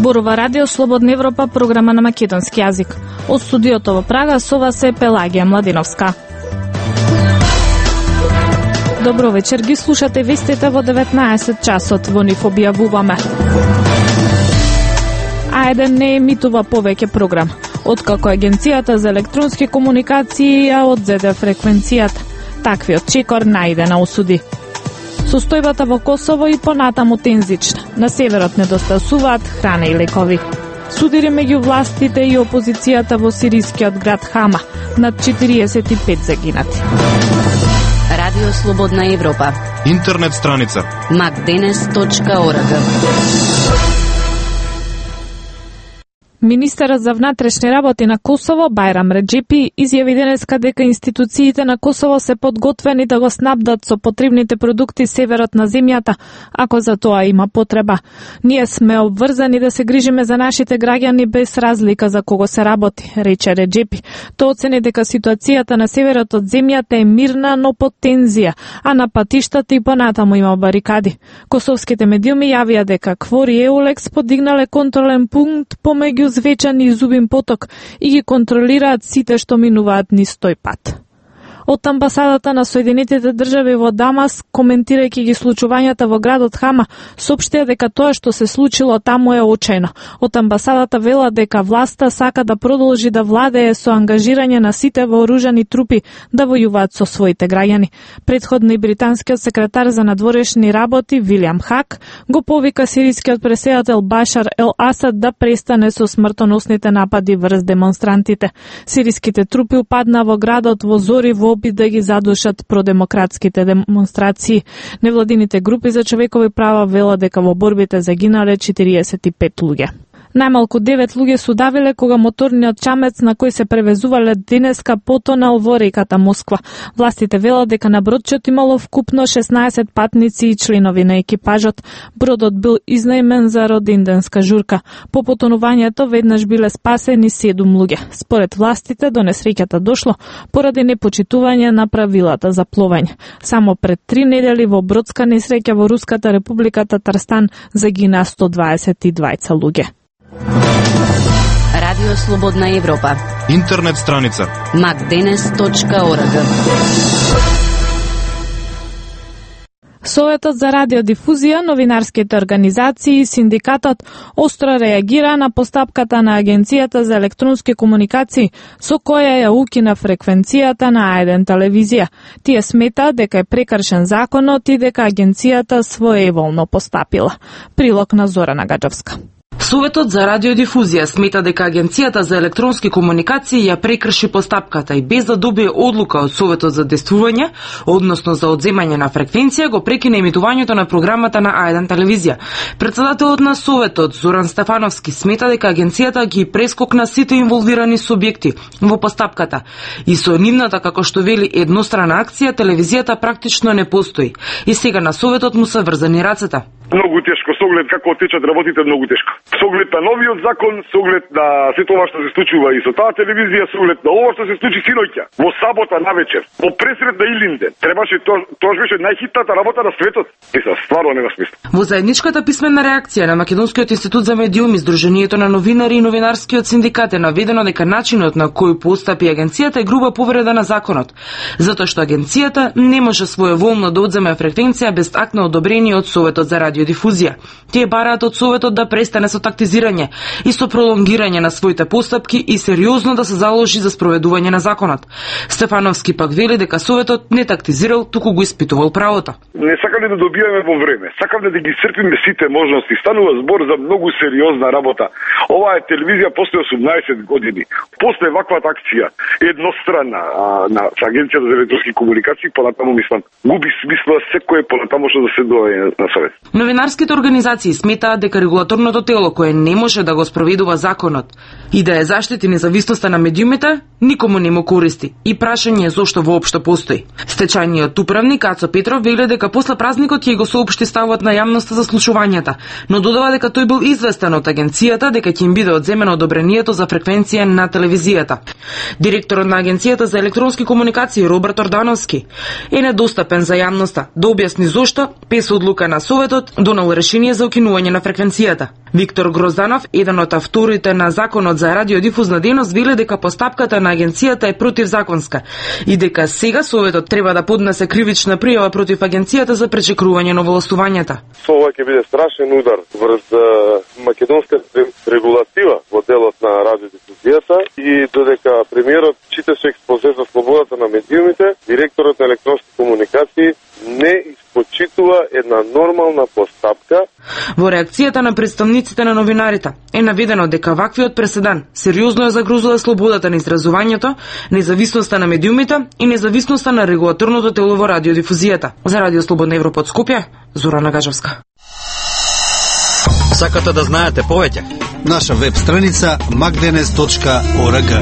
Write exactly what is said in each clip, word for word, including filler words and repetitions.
Зборува Радио Слободна Европа, програма на македонски јазик. Од студиото во Прага со вас е Пелагија Младиновска. Добро вечер, ги слушате вестите во деветнаесет часот, во нив објавуваме. А еден не емитува повеќе програм, откако Агенцијата за електронски комуникации ја одзеде фреквенцијата. Таквиот чекор најде на осуди. Состојбата во Косово и понатаму тензична. На северот недостасуваат храна и лекови. Судири меѓу властите и опозицијата во сирискиот град Хама. Над четириесет и пет загинати. Радио Слободна Европа. Интернет страница макденес точка орг. Министерот за внатрешни работи на Косово, Бајрам Реджепи, изјави денеска дека институциите на Косово се подготвени да го снабдат со потребните продукти северот на земјата, ако за тоа има потреба. Ние сме обврзани да се грижиме за нашите граѓани без разлика за кого се работи, рече Реджепи. Тој оцени дека ситуацијата на северот од земјата е мирна, но под тензија, а на патиштата и понатаму има барикади. Косовските медиуми јавија дека КФОР и Еулекс подигнале контролен пункт помеѓу Звечан и Зубин поток и ги контролираат сите што минуваат низ тој пат. Од амбасадата на Соединетите држави во Дамас, коментирајќи ги случувањата во градот Хама, соопштија дека тоа што се случило таму е очајно. Од амбасадата вела дека власта сака да продолжи да владее со ангажирање на сите вооружани трупи да војуваат со своите граѓани. Претходно и британскиот секретар за надворешни работи Вилијам Хак го повика сирискиот преседател Башар ел Асад да престане со смртоносните напади врз демонстрантите. Сириските трупи упадна во градот во зори во опит да ги задушат продемократските демонстрации. Невладините групи за човекови права вела дека во борбите загинале четириесет и пет луѓе. Најмалку девет луѓе се удавиле кога моторниот чамец на кој се превезувале денеска потонал во реката Москва. Властите велат дека на бродчот имало вкупно шеснаесет патници и членови на екипажот. Бродот бил изнајмен за роденденска журка. По потонувањето веднаш биле спасени седум луѓе. Според властите до несреќата дошло поради непочитување на правилата за пловење. Само пред три недели во бродска несреќа во Руската република Татарстан загина сто дваесет и двајца луѓе. Радио Слободна Европа. Интернет страница макденес точка орг. Советот за радиодифузија, новинарските организации и синдикатот остро реагира на постапката на Агенцијата за електронски комуникации со која ја укина фреквенцијата на А еден телевизија. Тие смета дека е прекршен законот и дека агенцијата своеволно постапила. Прилог на Зорана Гаджевска. Советот за радиодифузија смета дека Агенцијата за електронски комуникации ја прекрши постапката и без да добие одлука од Советот за действување, односно за одземање на фреквенција, го прекина емитувањето на програмата на А еден телевизија. Председателот на Советот, Зоран Стефановски, смета дека Агенцијата ги прескокна сите инволвирани субјекти во постапката и со нивната, како што вели, еднострана акција, телевизијата практично не постои. И сега на Советот му се врзани рацете. Многу тешко, со оглед како течат работите, многу тешко. Со оглед на новиот закон, со оглед на сето ова што се случува и со таа телевизија, со оглед на ова што се случи синоќа, во сабота навечер, во пресред на Илинден, требаше тоа, тоа беше најхитната работа на светот. Мисля, стварно нема смисла. Во заедничката писмена реакција на Македонскиот институт за медиуми, Сдруженијето на новинари и новинарскиот синдикат е наведено дека начинот на кој постапи агенцијата е груба повреда на законот, затоа што агенцијата не може своеволно да одземе фреквенција без акт на одобрение од Советот за радиодифузија. Тие бараат од Советот да престане со тактизирање и со пролонгирање на своите постапки и сериозно да се заложи за спроведување на законот. Стефановски пак вели дека Советот не тактизирал, туку го испитувал правото. Не сакаме да добиваме во време, сакаме да ги исцрпиме сите можности. Станува збор за многу сериозна работа. Оваа е телевизија после осумнаесет години. После ваквата акција, едностранна а, на Агенцијата за електронски комуникации, понатаму мислам, губи смисла секое понатаму што да се доаѓа на Совет. Новинарските организации сметаат дека регулаторното тело кое не може да го спроведува законот и да ја заштити независноста на медиумите, никому не му користи и прашање е зошто воопшто постои. Стечајниот управник Ацо Петров вели дека после празникот ќе го соопшти ставот на јавноста за случувањата, но додава дека тој бил известен од агенцијата дека ќе им биде одземено одобрението за фреквенција на телевизијата. Директорот на Агенцијата за електронски комуникации Роберт Ордановски е недостапен за јавноста да објасни зошто без одлука на Советот донел решение за укинување на фреквенцијата. Виктор Грозданов, еден од авторите на Законот за радиодифузна дејност, веле дека постапката на агенцијата е противзаконска и дека сега Советот треба да поднесе кривична пријава против агенцијата за пречекрување на овластувањата. Ова ќе биде страшен удар врз македонската регулатива во делот на радиодифузијата и додека премиерот читаше експозе за слободата на медиумите, директорот на електронски комуникации не испочитува една нормална постапка. Во реакцијата на представниците на новинарите е наведено дека ваквиот преседан сериозно ја загрозува слободата на изразувањето, независноста на медиумите и независноста на регулаторното тело во радиодифузијата. За Радио Слободна Европа од Скопје, Зорана Гажевска. Сакате да знаете повеќе? Наша веб страница макденес точка орг.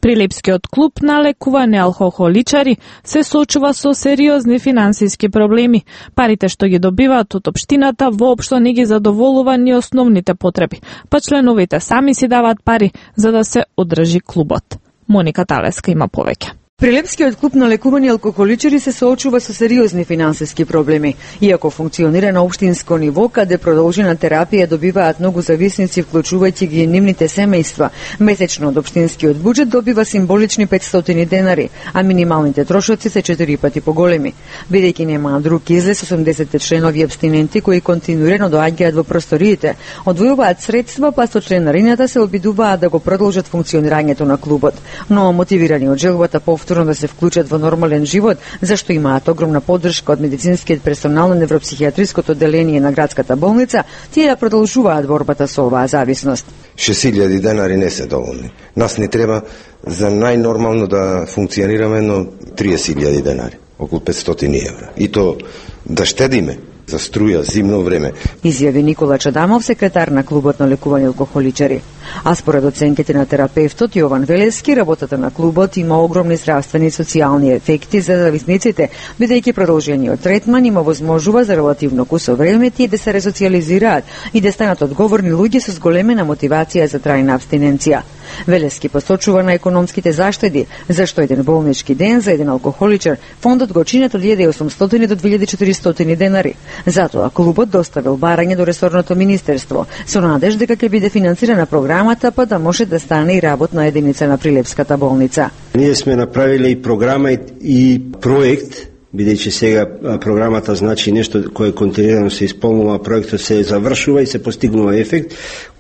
Прилепскиот клуб на лекување алкохоличари се соочува со сериозни финансиски проблеми. Парите што ги добиваат од општината воопшто не ги задоволува ни основните потреби, па членовите сами си даваат пари за да се одржи клубот. Моника Талеска има повеќе. Прилепскиот клуб на лекување алкохоличари се соочува со сериозни финансиски проблеми. Иако функционира на општинско ниво, каде продолжена терапија добиваат многу зависници, вклучувајќи ги и нивните семејства, месечно од општинскиот буџет добива символични петстотини денари, а минималните трошоци се четири пати поголеми. Бидејќи нема друг излез, осумдесет членови апстиненти кои континуирано доаѓаат во просториите, одвојуваат средства, па со членарината се обидуваат да го продолжат функционирањето на клубот, но мотивирани од желбата повторно да се вклучат во нормален живот, зашто имаат огромна поддршка од медицинскиот персонал на невропсихијатриското одделение на градската болница, тие да продолжуваат борбата со оваа зависност. шест илјади денари не се доволни. Нас ни треба за најнормално да функционираме но триесет илјади денари, околу петстотини евра. И то да штедиме за струја, зимно време. Изјави Никола Чадамов, секретар на клубот на лекување алкохоличари. А според оценките на терапевтот Јован Велески, работата на клубот има огромни здравствени и социјални ефекти за зависниците, бидејќи продолжениот третман има возможува за релативно кусо време тие да се ресоциализираат и да станат одговорни луѓе со зголемена мотивација за трајна абстиненција. Велески посочува на економските заштеди, зашто еден болнички ден за еден алкохоличар фондот го чинат од илјада и осумстотини до две илјади и четиристотини денари. Затоа клубот доставил барање до ресорното министерство со надеж дека ќе биде финансирана програмата, па да може да стане и работна единица на Прилепската болница. Ние сме направиле и програма и проект, бидејќи сега програмата значи нешто кое континуирано се исполнува, проектот се завршува и се постигнува ефект,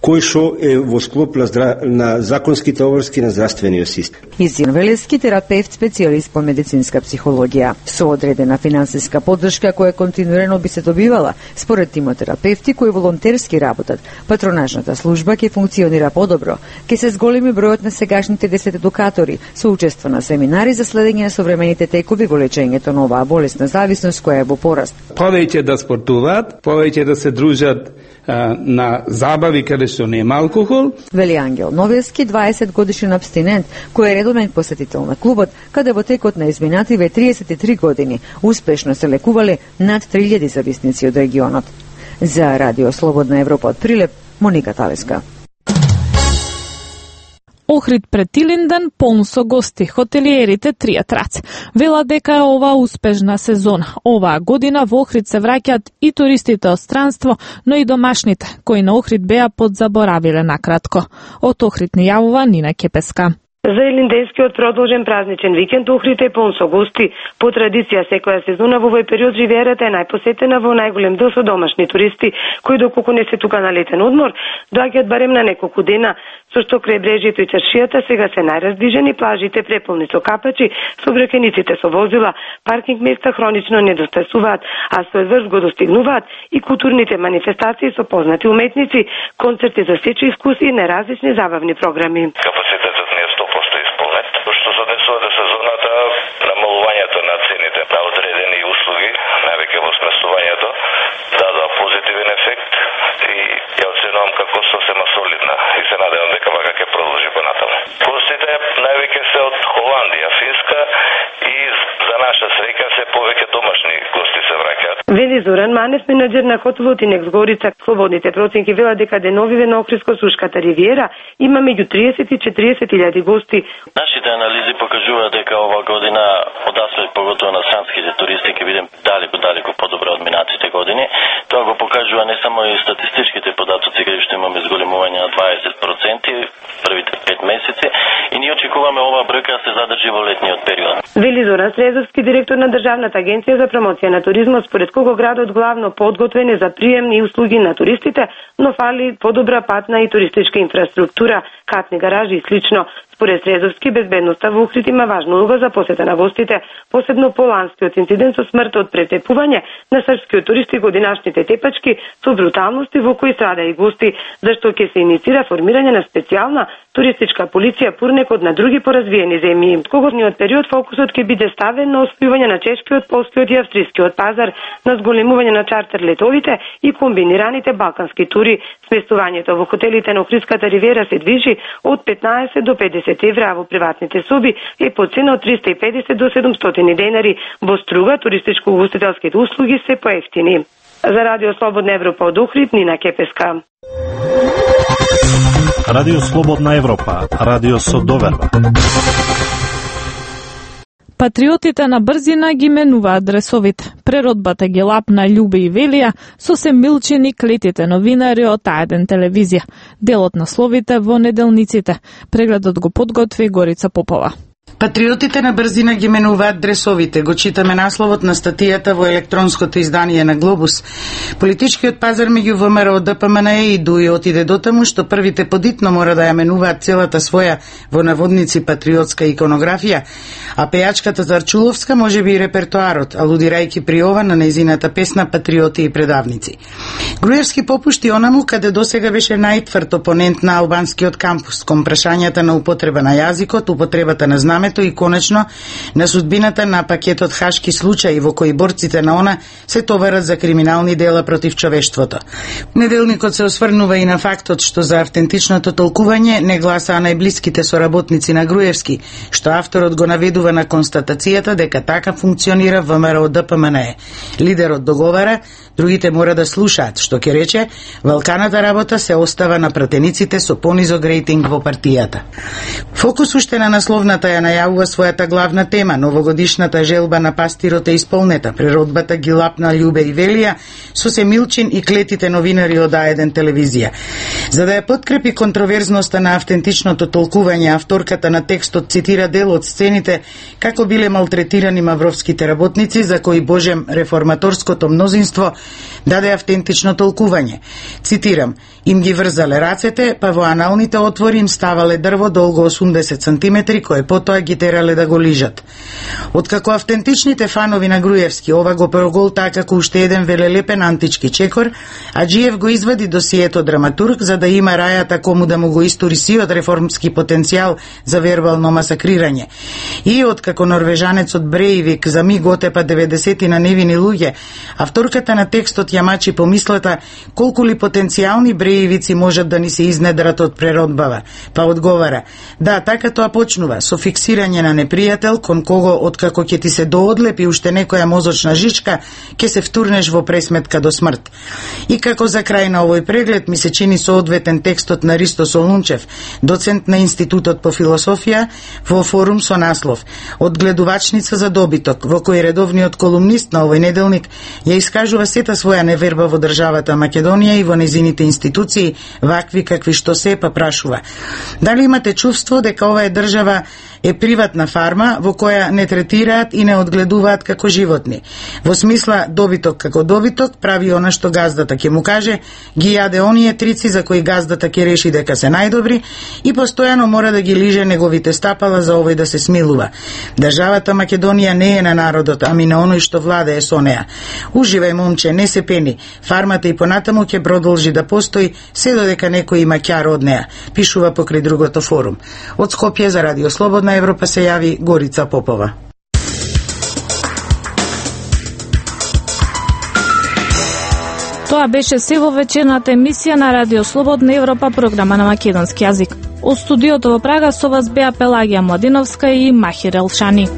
кој што е во склоп на, здра... на законските обврски на здравствениот систем. Изјан Велески, терапевт, специјалист по медицинска психологија. Со одредена финансиска поддршка која континуирано би се добивала, според тимотерапевти кои волонтерски работат, патронажната служба ќе функционира подобро, ќе се зголеми бројот на сегашните десет едукатори, со учество на семинари за следење на современите текови во лечењето на оваа болесна зависност која е во пораст. Повеќе да спортуваат, повеќе да се дружат а, на забави каде што нема алкохол. Вели Ангел Новески, дваесет годишен абстинент, кој е редовен посетител на клубот, каде во текот на изминативе триесет и три години успешно се лекувале над три илјади зависници од регионот. За Радио Слободна Европа од Прилеп, Моника Талеска. Охрид пред Илинден полн со гости, хотелиерите тријат раце. Вела дека е ова успешна сезона. Оваа година во Охрид се враќаат и туристите од странство, но и домашните, кои на Охрид беа подзаборавиле накратко. Од Охрид ни јавува Нина Кепеска. За илинденскиот продолжен празничен викенд Охрид е полн со гости. По традиција секоја сезона во овој период Ривиерата е најпосетена во најголем дел со домашни туристи, кои доколку не се тука на летен одмор, доаѓаат барем на неколку дена, со што крајбрежјето и чаршијата сега се најраздвижени, плажите преполни со капачи, сообраќајниците со возила, паркинг места хронично недостасуваат, а свој врв го достигнуваат и културните манифестации со познати уметници, концерти за сечи искуси и неразлични забавни програми. Капацитетот не е сто проценти исполнет, што се однесува до сезоната, намалувањето на цените на одредени услуги, навеќе во сместувањето, дадоа позитивен ефект и ја оценувам како сосема солидна и се надевам дека вака ќе продолжи понатаму. Гостите највеќе се од Холандија, Финска и за наша среќа се повеќе домашни гости се враќаат. Вели Зоран Манев, Главниот менаџер на хотелот Инекс Горица, слободните проценки велат дека деновиве на Охридско-Сушката ривиера има меѓу триесет и четириесет илјади гости. Нашите анализи покажуваат дека ова година одасвет поготово на странските туристи ќе бидем далеку далеку подобро од минатите години. Тоа го покажува не само и статистичките податоци каде што имаме зголемување на дваесет проценти првите пет месеци и ние очекуваме ова бројка да се задржи во летниот период. Вели Зоран Срезовски, директор на Државната агенција за промоција на туризмот, според кого градот главно подготвен е за прием и услуги на туристите, но фали подобра патна и туристичка инфраструктура, катни гаражи и слично. Според Срезовски, безбедноста во Охрид има важна улога за посета на гостите, посебно по ланскиот инцидент со смрт од претепување на српскиот туристи годинашните тепачки со бруталности во кои страда и гости, зашто ќе се иницира формирање на специјална туристичка полиција пурнекот на други поразвиени земји. Когодниот период фокусот ќе биде ставен на освојување на чешкиот, полскиот и австрискиот пазар, на зголемување на чартер летовите и комбинираните балкански тури. Сместувањето во хотелите на Охридската ривиера се движи од петнаесет до педесет евра, а во приватните соби е по цена од триста и педесет до седумстотини денари. Во Струга туристичко-угостителските услуги се поевтини. За Радио Слободна Европа од Охрид, Нина Кепеска. Радио Слободна Европа, радио со доверба. Патриотите на брзина ги менуваат адресовите. Преродбата ги лапна Љубе и Велија, со се милчени клетите новинари од А еден телевизија. Делот на словите во неделниците. Прегледот го подготви Горица Попова. Патриотите на брзина ги менуваат дресовите, го читаме насловот на статијата во електронското издание на Глобус. Политичкиот пазар меѓу ВМРО, ДПМН и ДУИ отиде до таму што првите подитно мора да ја менуваат целата своја во наводници патриотска иконографија, а пејачката Зарчуловска може би и репертоарот, алудирајќи при ова на нејзината песна Патриоти и предавници. Груевски попушти онаму каде досега беше најтврд опонент на албанскиот кампус, кон прашањата на употреба на јазикот, употребата на знамето и конечно на судбината на пакетот Хашки случаи во кои борците на она се товарат за криминални дела против човештвото. Неделникот се осврнува и на фактот што за автентичното толкување не гласаа најблиските соработници на Груевски, што авторот го наведува на констатацијата дека така функционира ВМРО ДПМН. Лидерот договара, другите мора да слушаат, што ќе рече, валканата работа се остава на пратениците со понизок рейтинг во партијата. Фокус уште на насловната ја најавува својата главна тема, новогодишната желба на пастирот е исполнета, преродбата ги лапна Љубе и Велија, со се Милчин и клетите новинари од А еден телевизија. За да ја подкрепи контроверзноста на автентичното толкување, авторката на текстот цитира дел од сцените како биле малтретирани мавровските работници, за кои Божем реформаторското мнозинство даде автентично толкување. Цитирам: им ги врзале рацете, па во аналните отвори им ставале дрво долго осумдесет сантиметри, кое потоа ги терале да го лижат. Откако автентичните фанови на Груевски ова го проголтаа како уште еден велелепен антички чекор, Аџиев го извади досието драматург за да има рајата кому да му го истори сиот реформски потенцијал за вербално масакрирање. И откако норвежанецот Бреивик за миг отепа деветдесети на невини луѓе, авторката на текстот ја мачи помислата колку ли потенцијални Бреивици можат да ни се изнедрат од преродбава. Па одговара: да, така тоа почнува, со фиксирање на непријател кон кого откако ќе ти се доодлепи уште некоја мозочна жичка, ќе се втурнеш во пресметка до смрт. И како за крај на овој преглед ми се чини соодветен текстот на Ристо Солунчев, доцент на Институтот по философија, во форум со наслов "Одгледувачница за добиток", во кој редовниот колумнист на овој неделник ја искажува сета своја неверба во државата Македонија и во незините институции, вакви какви што се, па прашува: дали имате чувство дека ова е држава е приватна фарма во која не третираат и не одгледуваат како животни? Во смисла добиток како добиток прави она што газдата ќе му каже, ги јаде оние трици за кои газдата ќе реши дека се најдобри и постојано мора да ги лиже неговите стапала за овој да се смилува. Државата Македонија не е на народот, ами на оној што владее со неа. Уживај, момче, не се пени. Фармата и понатаму ќе продолжи да постои се додека некој има ќар од неа, пишува покрај другото форум. Од Скопје за Радио Слободна Европа се јави Горица Попова. Тоа беше се во вечерната емисија на Радио Слободна Европа, програма на македонски јазик. Од студиото во Прага со вас беа Пелагија Младиновска и Махир Елшани.